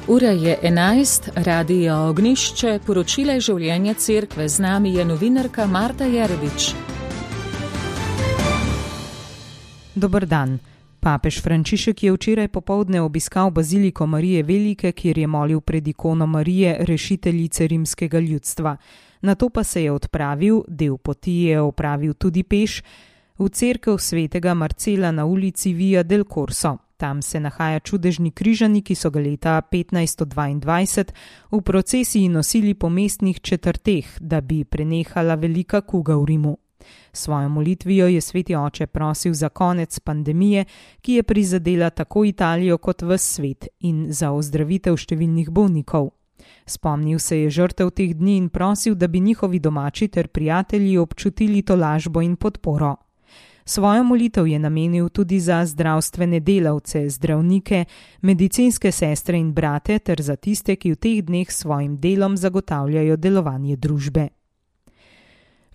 Ura je 11, Radio Ognišče, poročila življenja cerkve. Z nami je novinarka Marta Jeredič. Dober dan. Papež Frančišek je včeraj popoldne obiskal baziliko Marije Velike, kjer je molil pred ikono Marije, rešiteljice rimskega ljudstva. Nato pa se je odpravil, del poti je opravil tudi peš, v cerkev svetega Marcela na ulici Via del Corso. Tam se nahaja čudežni križani, ki so ga leta 1522 v procesiji nosili po mestnih četrteh, da bi prenehala velika kuga v Rimu. Svojo molitvijo je sveti oče prosil za konec pandemije, ki je prizadela tako Italijo kot ves svet, in za ozdravitev številnih bolnikov. Spomnil se je žrtev teh dni in prosil, da bi njihovi domači ter prijatelji občutili tolažbo in podporo. Svojo molitev je namenil tudi za zdravstvene delavce, zdravnike, medicinske sestre in brate ter za tiste, ki v teh dneh svojim delom zagotavljajo delovanje družbe.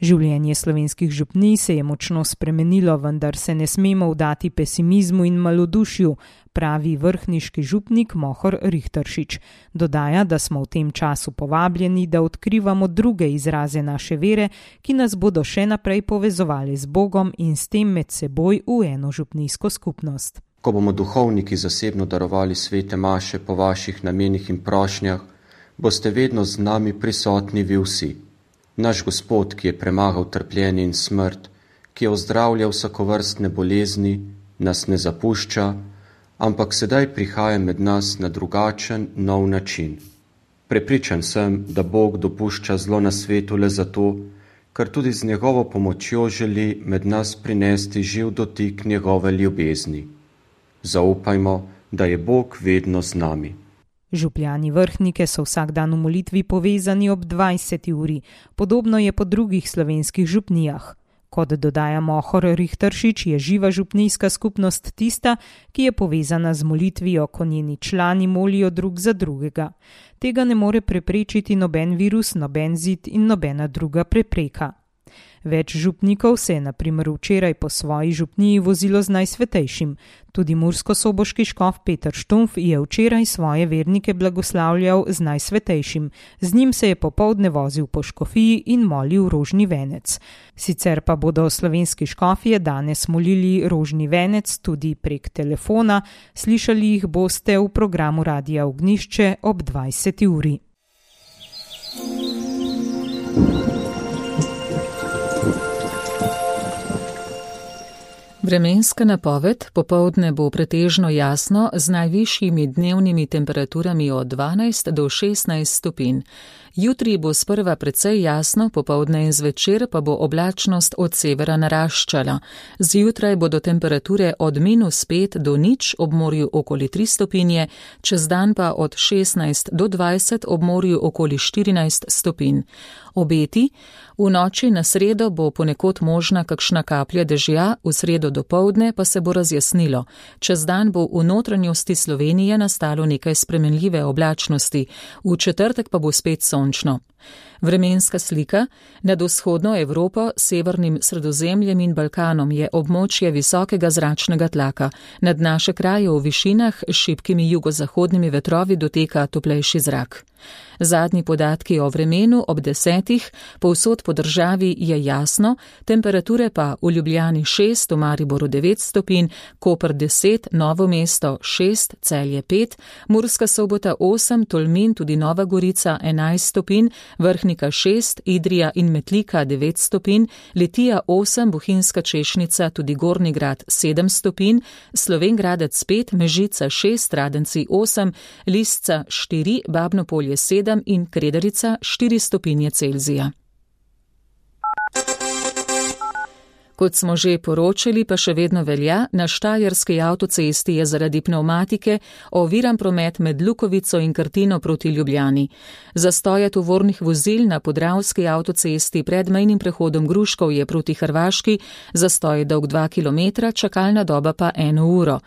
Življenje slovenskih župnij se je močno spremenilo, vendar se ne smemo vdati pesimizmu in malodušju, pravi vrhniški župnik Mohor Rihteršič. Dodaja, da smo v tem času povabljeni, da odkrivamo druge izraze naše vere, ki nas bodo še naprej povezovali z Bogom in s tem med seboj v eno župnijsko skupnost. Ko bomo duhovniki zasebno darovali svete maše po vaših namenih in prošnjah, boste vedno z nami prisotni vi vsi. Naš Gospod, ki je premagal trpljenje in smrt, ki je ozdravljal vsakovrstne bolezni, nas ne zapušča, ampak sedaj prihaja med nas na drugačen, nov način. Prepričan sem, da Bog dopušča zlo na svetu le zato, ker tudi z njegovo pomočjo želi med nas prinesti živ dotik njegove ljubezni. Zaupajmo, da je Bog vedno z nami. Župljani Vrhnike so vsak dan v molitvi povezani ob 20. uri, podobno je po drugih slovenskih župnijah. Kot dodaja Mohor Rihteršič, je živa župnijska skupnost tista, ki je povezana z molitvijo, ko njeni člani molijo drug za drugega. Tega ne more preprečiti noben virus, noben zid in nobena druga prepreka. Več župnikov se je na primer včeraj po svoji župniji vozilo z Najsvetejšim. Tudi murskosoboški škof Peter Štumf je včeraj svoje vernike blagoslavljal z Najsvetejšim. Z njim se je popoldne vozil po škofiji in molil rožni venec. Sicer pa bodo slovenski škofje danes molili rožni venec tudi prek telefona. Slišali jih boste v programu Radia Ognišče ob 20. uri. Vremenska napoved: popoldne bo pretežno jasno z najvišjimi dnevnimi temperaturami od 12 do 16 stopinj. Jutri bo sprva precej jasno, popoldne in zvečer pa bo oblačnost od severa naraščala. Zjutraj bodo temperature od -5 do 0 ob morju okoli 3 stopinje, čez dan pa od 16 do 20 ob morju okoli 14 stopinj. Obeti: v noči na sredo bo ponekod možna kakšna kaplja dežja, v sredo dopoldne pa se bo razjasnilo. Čez dan bo v notranjosti Slovenije nastalo nekaj spremenljive oblačnosti, v četrtek pa bo spet sončno. Vremenska slika: nad vzhodno Evropo, severnim Sredozemljem in Balkanom je območje visokega zračnega tlaka. Nad naše kraje v višinah s šibkimi jugozahodnimi vetrovi doteka toplejši zrak. Zadnji podatki o vremenu ob 10. povsod po državi je jasno, temperature pa v Ljubljani 6, v Mariboru 9 stopinj, Koper 10, Novo mesto 6, Celje 5, Murska Sobota 8, Tolmin, tudi Nova Gorica 11 stopinj, Vrhnika 6, Idrija in Metlika 9 stopinj, Litija 8, Bohinjska Češnica, tudi Gornji Grad 7 stopinj, Slovenj Gradec 5, Mežica 6, Radenci 8, Lisca 4, Babno Polje 7 in Kredarica 4 stopinje Celzija. Kot smo že poročali, pa še vedno velja, na Štajerski avtocesti je zaradi pnevmatike oviran promet med Lukovico in Krtino proti Ljubljani. Zastoje tovornih vozil na Podravski avtocesti pred mejnim prehodom Gruškovje proti Hrvaški, zastoj dolg 2 km, čakalna doba pa 1 uro.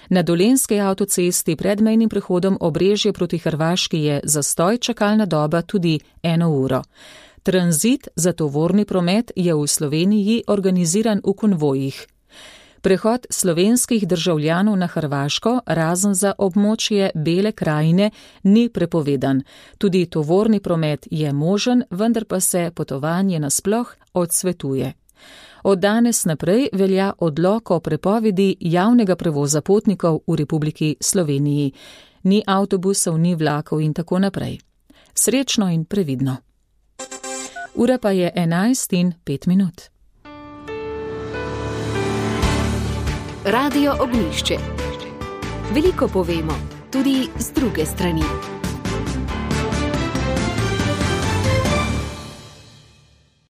Na Dolenjski avtocesti pred mejnim prehodom Obrežje proti Hrvaški je zastoj, čakalna doba tudi 1 uro. Tranzit za tovorni promet je v Sloveniji organiziran v konvojih. Prehod slovenskih državljanov na Hrvaško, razen za območje Bele krajine, ni prepovedan. Tudi tovorni promet je možen, vendar pa se potovanje nasploh odsvetuje. Od danes naprej velja odlok o prepovedi javnega prevoza potnikov v Republiki Sloveniji. Ni avtobusov, ni vlakov in tako naprej. Srečno in previdno. Ura pa je 11:05. Radio Ognjišče. Veliko povemo, tudi z druge strani.